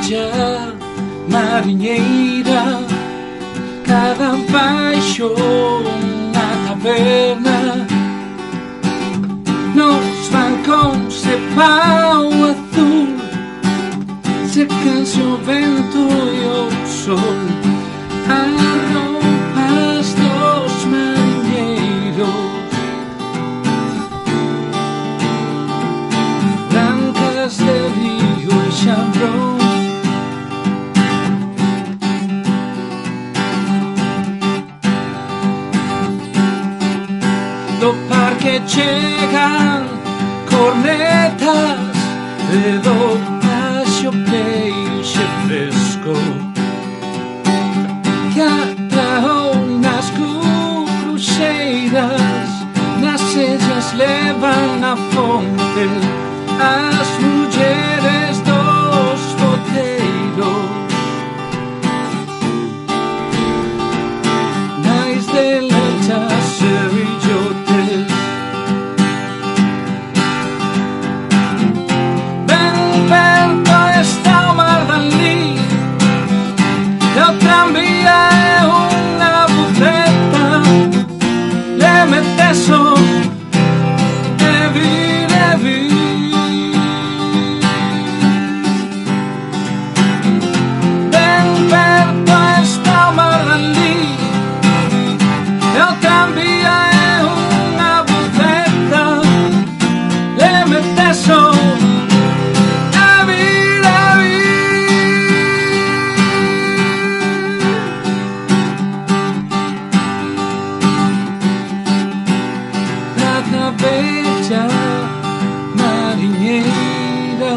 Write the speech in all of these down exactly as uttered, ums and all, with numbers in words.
bella mariñeira, cada baixo na taberna, nos bancóns de pau azul, secan-se o vento e o sol, as roupas dos mariñeiros, brancas de río e xabrón. Do parque chegan cornetas e do paxo peixe fresco que atraou nas cruxeiras, nas sellas levan a fonte as mulleres dos boteiros, nais de lanchas e billotes. Ben perto está o mar dali, e o tranvía é unha buceta, le meteso e vir e vir. Ben perto está o mar dali, e o tranvía é unha buceta, le meteso e vir e vir. Prata bella mariñeira.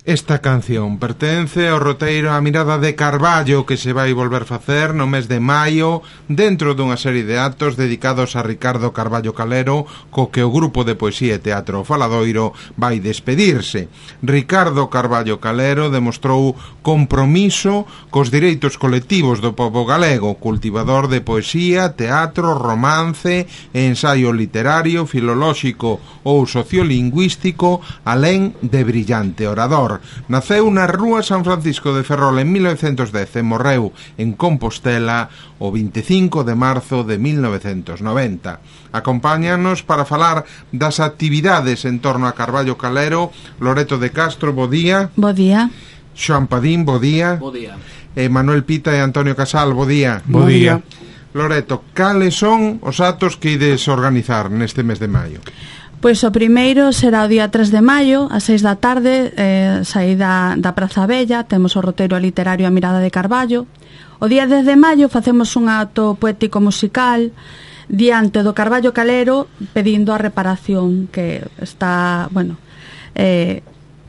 Esta canción pertence ao roteiro A mirada de Carballo, que se vai volver facer no mes de maio dentro dunha serie de actos dedicados a Ricardo Carballo Calero, co que o grupo de poesía e teatro Faladoiro vai despedirse. Ricardo Carballo Calero demostrou compromiso cos direitos colectivos do pobo galego, cultivador de poesía, teatro, romance, ensaio literario, filolóxico ou sociolingüístico, alén de brillante orador. Naceu na rúa San Francisco de Ferrol en mil novecentos dez e morreu en Compostela o vinte e cinco de marzo de mil novecentos noventa. Acompáñanos para falar das actividades en torno a Carballo Calero Loreto de Castro, bo día. Bo día. Xoan Padín, bo día. Bo día. E Manuel Pita e Antonio Casal, bo día. Bo día. Loreto, cales son os actos que ides organizar neste mes de maio? Pois o primeiro será o día tres de maio, ás seis da tarde, eh, saída da Praza Bella, temos o roteiro literario A mirada de Carballo. O día dez de maio facemos un acto poético musical diante do Carballo Calero pedindo a reparación, que está, bueno, eh,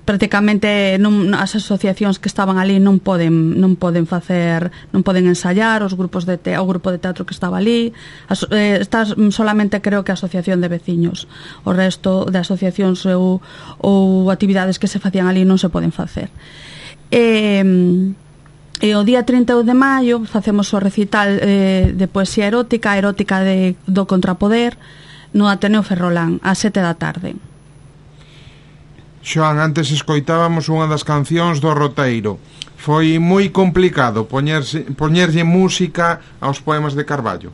prácticamente non, as asociacións que estaban ali non poden non poden facer, non poden ensaiar, os grupos de te, o grupo de teatro que estaba ali, as, eh, está solamente creo que a asociación de veciños, o resto de asociacións ou, ou actividades que se facían ali non se poden facer. E, e o día trinta de maio facemos o recital eh, de poesía erótica, erótica de, do Contrapoder no Ateneo Ferrolán ás sete da tarde. Xoan, antes escoitábamos unha das cancións do roteiro. Foi moi complicado poñerse, poñerlle música aos poemas de Carballo.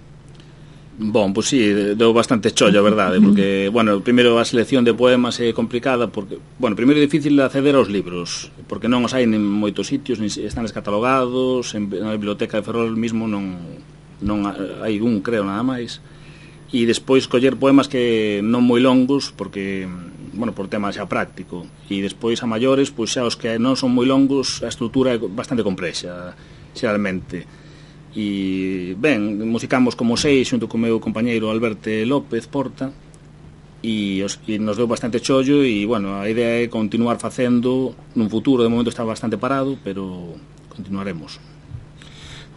Bon, pois pues sí, deu bastante chollo, a verdade, porque, bueno, primeiro a selección de poemas é complicada, porque, bueno, primeiro é difícil acceder aos libros, porque non os hai en moitos sitios, nin están descatalogados, en, na biblioteca de Ferrol mismo non, non hai un, creo, nada máis, e despois coller poemas que non moi longos, porque, bueno, por tema xa práctico, e despois a maiores, pois xa os que non son moi longos, a estrutura é bastante complexa, xeralmente. E, ben, musicamos como seis xunto co meu compañeiro Alberto López Porta, e, os, e nos deu bastante chollo, e, bueno, a idea é continuar facendo nun futuro, de momento está bastante parado, pero continuaremos.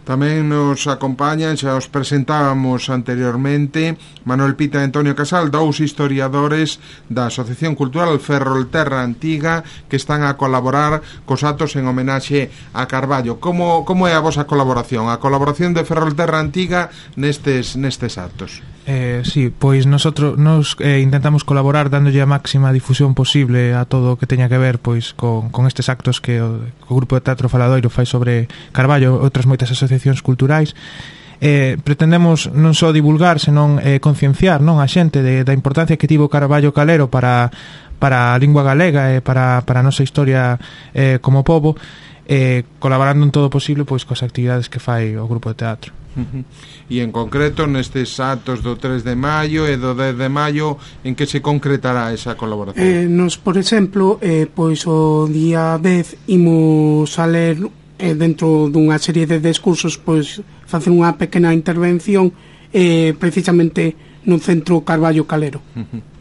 Tamén nos acompañan, xa os presentábamos anteriormente, Manuel Pita e Antonio Casal, dous historiadores da Asociación Cultural Ferrolterra Antiga, que están a colaborar cos actos en homenaxe a Carballo. Como, como é a vosa colaboración, a colaboración de Ferrolterra Antiga nestes, nestes actos? Eh, sí, pois nosotros nos eh, intentamos colaborar dándolle a máxima difusión posible a todo o que teña que ver pois con, con estes actos que o, o Grupo de Teatro Faladoiro fai sobre Carballo e outras moitas asociacións culturais. Eh, pretendemos non só divulgar, senón eh, concienciar, non, a xente de, da importancia que tivo Carballo Calero para, para a lingua galega e para, para a nosa historia eh, como pobo, eh, colaborando en todo o posible pois coas actividades que fai o Grupo de Teatro. Uh-huh. E en concreto nestes actos do tres de maio e do dez de maio, en que se concretará esa colaboración? Eh, nos, por exemplo, eh, pois o día dez imos a ler eh, dentro dunha serie de discursos, pois facer unha pequena intervención eh, precisamente no Centro Carballo Calero. Uh-huh.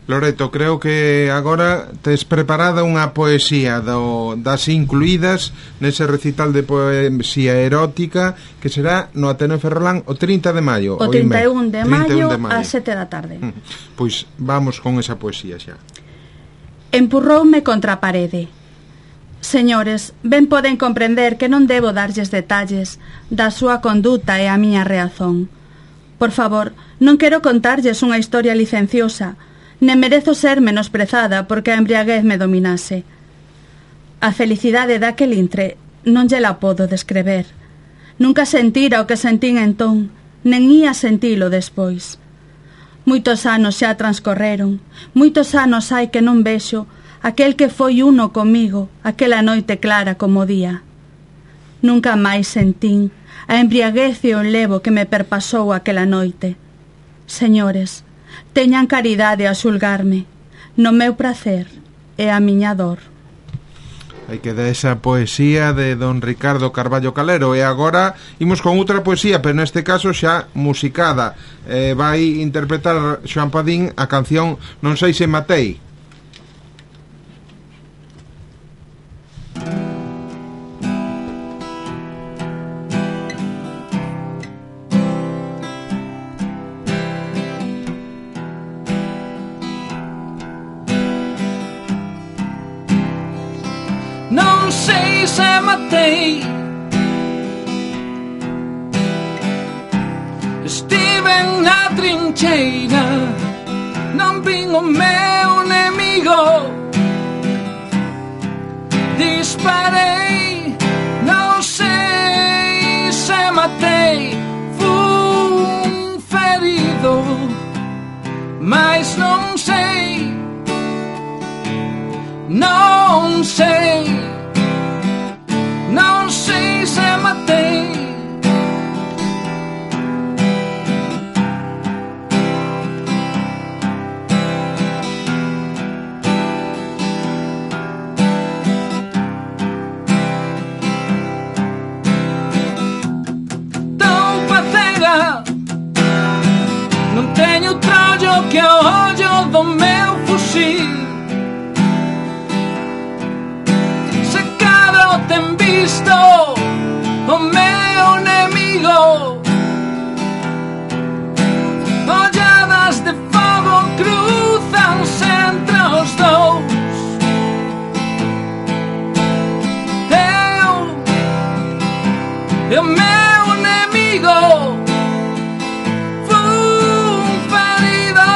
Loreto, creo que agora tes preparada unha poesía do, das incluídas nese recital de poesía erótica que será no Ateneo Ferrolán o trinta de maio. O trinta e un de maio ás sete da tarde. Pois vamos con esa poesía xa. Empurroume contra a parede. Señores, ben poden comprender que non debo darlles detalles da súa conduta e a miña reazón. Por favor, non quero contarlles unha historia licenciosa, nem merezo ser menosprezada porque a embriaguez me dominase. A felicidade daquel intre non lle la podo descrever. Nunca sentira o que sentín entón, nen ía sentilo despois. Moitos anos xa transcorreron, moitos anos hai que non vexo aquel que foi uno comigo, aquela noite clara como día. Nunca máis sentín a embriaguez e o levo que me perpasou aquela noite. Señores, teñan caridade a xulgarme, no meu pracer e a miña dor. Hai que dar esa poesía de don Ricardo Carballo Calero. E agora imos con outra poesía, pero neste caso xa musicada. eh, Vai interpretar Xoan Padín a canción Non sei se matei. Non sei se matei, estiven na trincheira, non vin o meu nemigo, disparei, non sei se matei, fun ferido, mas non sei, non sei, non sei se matei. Tão patega, non teño trollo que o ollo do meu fusil. Ten visto o meu nemigo, olladas de fogo cruzanse entre os dous. Eu e o meu nemigo fun ferido,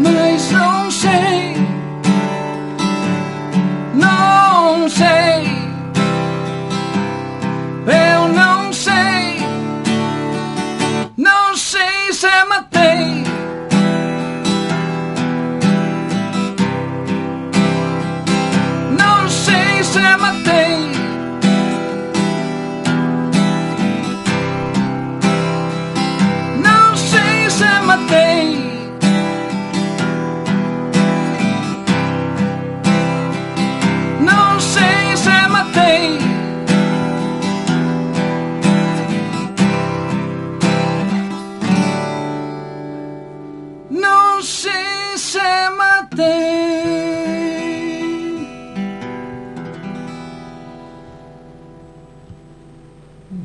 mas non sei, non sei, eu non sei, non sei se matei. Non sei se matei. Non sei se matei. Non sei se matei. Non sei se matei.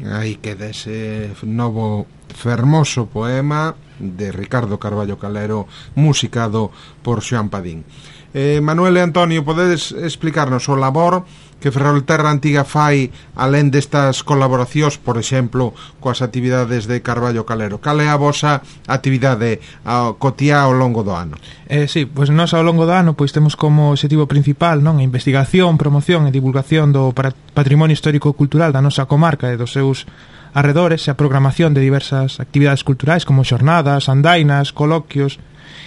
Aí queda ese novo fermoso poema de Ricardo Carballo Calero, musicado por Xoán Padín. Eh, Manuel e Antonio, podedes explicarnos o labor que Ferrolterra Antiga fai alén destas colaboracións, por exemplo, coas actividades de Carballo Calero? Cal é a vosa actividade ao cotiá ao longo do ano? Eh, sí, pois nós ao longo do ano pois temos como objetivo principal, non, a investigación, promoción e divulgación do patrimonio histórico-cultural da nosa comarca e dos seus arredores, e a programación de diversas actividades culturais como xornadas, andainas, coloquios,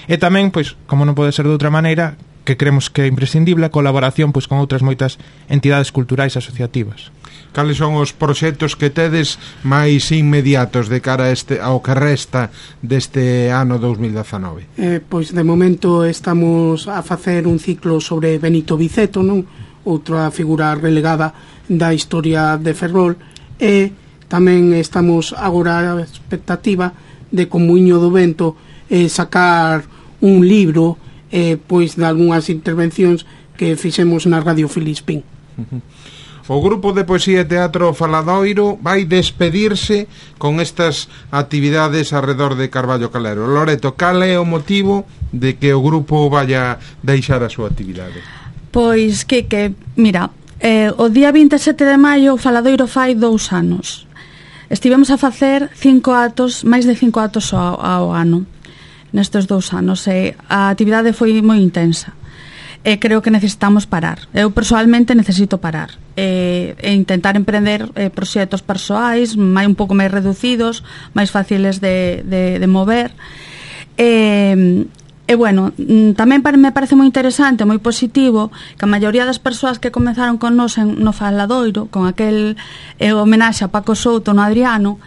e tamén, pois, como non pode ser de outra maneira, que creemos que é imprescindible a colaboración pois con outras moitas entidades culturais asociativas. Cales son os proxectos que tedes máis inmediatos de cara a este, ao que resta deste ano dous mil dezanove? Eh, pois de momento estamos a facer un ciclo sobre Benito Viceto, non? Outra figura relegada da historia de Ferrol, e tamén estamos agora a expectativa de con Muiño do Vento eh, sacar un libro eh, pois de algunhas intervencións que fixemos na Radio Filispín. O grupo de poesía e teatro Faladoiro vai despedirse con estas actividades arredor de Carballo Calero. Loreto, cal é o motivo de que o grupo vaya deixar a súa actividade? Pois que, que mira, eh, o día vinte e sete de maio o Faladoiro fai dous anos. Estivemos a facer cinco atos, máis de cinco atos ao, ao ano nestes dous anos, e a actividade foi moi intensa, e creo que necesitamos parar. Eu persoalmente necesito parar e, e intentar emprender eh, proxectos persoais máis un pouco máis reducidos, máis fáciles de, de, de mover, e, e bueno, tamén me parece moi interesante, moi positivo, que a maioría das persoas que comenzaron con nos en, no Faladoiro, con aquel eh, homenaxe a Paco Souto no Adriano,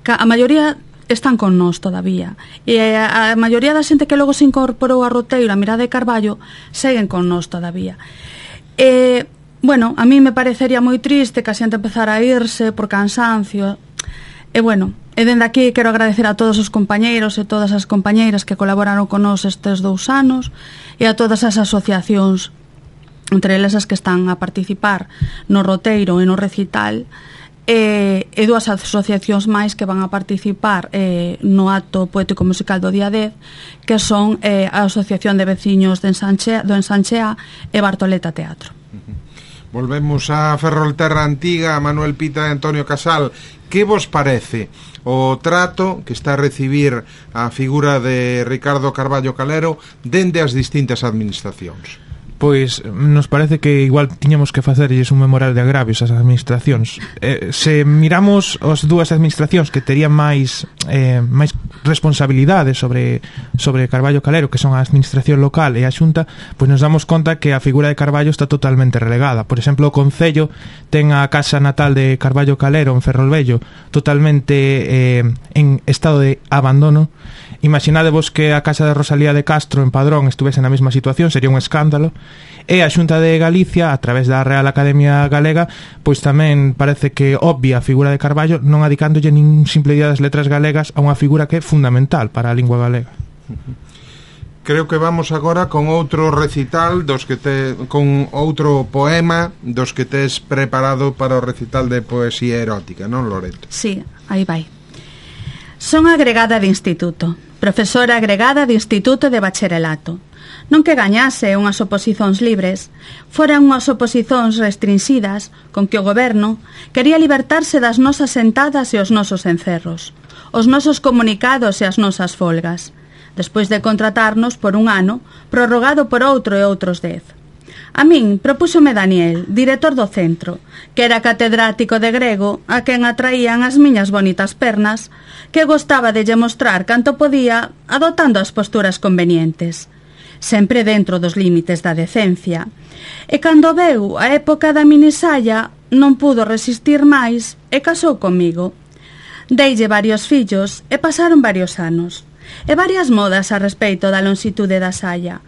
que a maioría están con nós todavía, e a, a maioría da xente que logo se incorporou a Roteiro, a Mirada de Carballo, seguen con nós todavía. E, bueno, a mí me parecería moi triste que a xente empezara a irse por cansancio, e bueno, e dende aquí quero agradecer a todos os compañeiros e todas as compañeiras que colaboraron con nós estes dous anos, e a todas as asociacións, entre elas as que están a participar no Roteiro e no recital, E, e dúas asociacións máis que van a participar eh, no acto poético musical do día dez, que son eh, a Asociación de Veciños de Ensanchea, do Ensanchea e Bartoleta Teatro. Uh-huh. Volvemos a Ferrolterra Antiga, Manuel Pita e Antonio Casal. Que vos parece o trato que está a recibir a figura de Ricardo Carballo Calero dende as distintas administracións? Pois nos parece que igual tiñamos que facerlles un memorial de agravios ás administracións. Eh, se miramos as dúas administracións que terían máis eh, máis responsabilidade sobre sobre Carballo Calero, que son a administración local e a Xunta, pois nos damos conta que a figura de Carballo está totalmente relegada. Por exemplo, o Concello ten a casa natal de Carballo Calero en Ferrolvello totalmente eh, en estado de abandono. Imaginadevos que a casa de Rosalía de Castro en Padrón estuvese na mesma situación, sería un escándalo. E a Xunta de Galicia, a través da Real Academia Galega, pois tamén parece que obvia a figura de Carballo, non adicándolle nin simple día das letras galegas a unha figura que é fundamental para a lingua galega. Creo que vamos agora con outro recital dos que te, con outro poema dos que tes preparado para o recital de poesía erótica, non, Loreto? Sí, aí vai. Son agregada de instituto, profesora agregada de instituto de bacharelato. Non que gañase unhas oposizóns libres, foran unhas oposizóns restringidas con que o goberno quería libertarse das nosas sentadas e os nosos encerros, os nosos comunicados e as nosas folgas, despois de contratarnos por un ano, prorrogado por outro e outros dez. A min propúxome Daniel, director do centro, que era catedrático de grego, a quen atraían as miñas bonitas pernas, que gostaba de lle mostrar canto podía, adoptando as posturas convenientes, sempre dentro dos límites da decencia. E cando veu a época da minisalla, non pudo resistir máis e casou comigo. Deille varios fillos e pasaron varios anos, e varias modas a respeito da lonsitude da saia.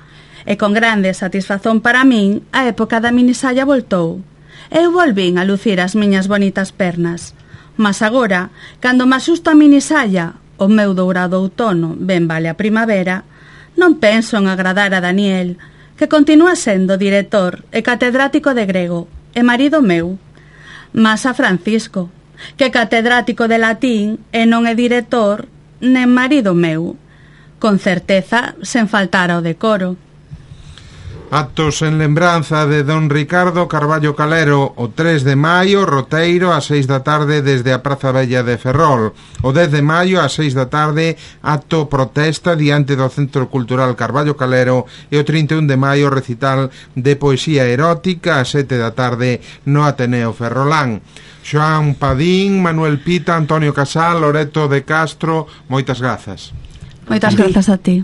E con grande satisfazón para min, a época da minisalla voltou. Eu volvín a lucir as miñas bonitas pernas. Mas agora, cando me asusto a minisalla, o meu dourado outono ben vale a primavera, non penso en agradar a Daniel, que continúa sendo director e catedrático de grego, e marido meu. Mas a Francisco, que catedrático de latín e non é director nen marido meu. Con certeza, sen faltar ao decoro. Actos en lembranza de don Ricardo Carballo Calero o tres de maio, roteiro ás seis da tarde desde a Praza Bella de Ferrol. O dez de maio ás seis da tarde, acto protesta diante do Centro Cultural Carballo Calero, e o trinta e un de maio recital de poesía erótica ás sete da tarde no Ateneo Ferrolán. Xoán Padín, Manuel Pita, Antonio Casal, Loreto de Castro, moitas grazas. Moitas grazas a ti.